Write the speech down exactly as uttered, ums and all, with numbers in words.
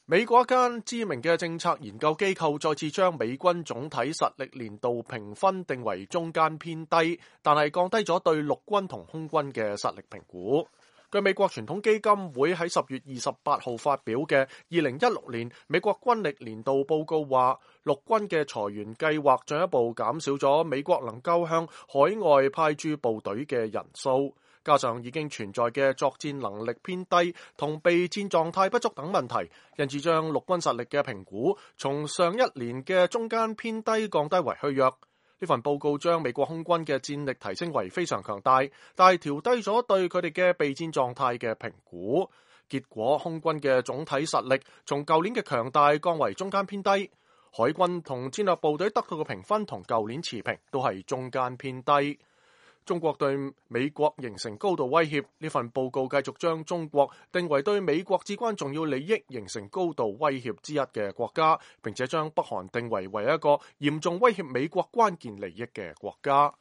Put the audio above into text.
美國一間知名嘅政策研究機構再次將美軍總體實力年度評分定為中間偏低，但係降低咗對陸軍同空軍嘅實力評估。據美國傳統基金會喺十月二十八號發表嘅二零一六年美國軍力年度報告話，陸軍嘅裁員計劃進一步減少咗美國能夠向海外派駐部隊嘅人數。加上已經存在嘅作戰能力偏低同備戰狀態不足等問題，因此將陸軍實力嘅評估從上一年嘅中間偏低降低為虛弱。呢份報告將美國空軍嘅戰力提升為非常強大，但係調低咗對佢哋嘅備戰狀態嘅評估。結果空軍嘅總體實力從舊年嘅強大降為中間偏低，海軍同戰略部隊得到嘅評分同舊年持平，都係中間偏低。中國對美國形成高度威脅，呢份報告繼續將中國定為對美國至關重要利益形成高度威脅之一嘅國家，並且將北韓定為為一個嚴重威脅美國關鍵利益嘅國家。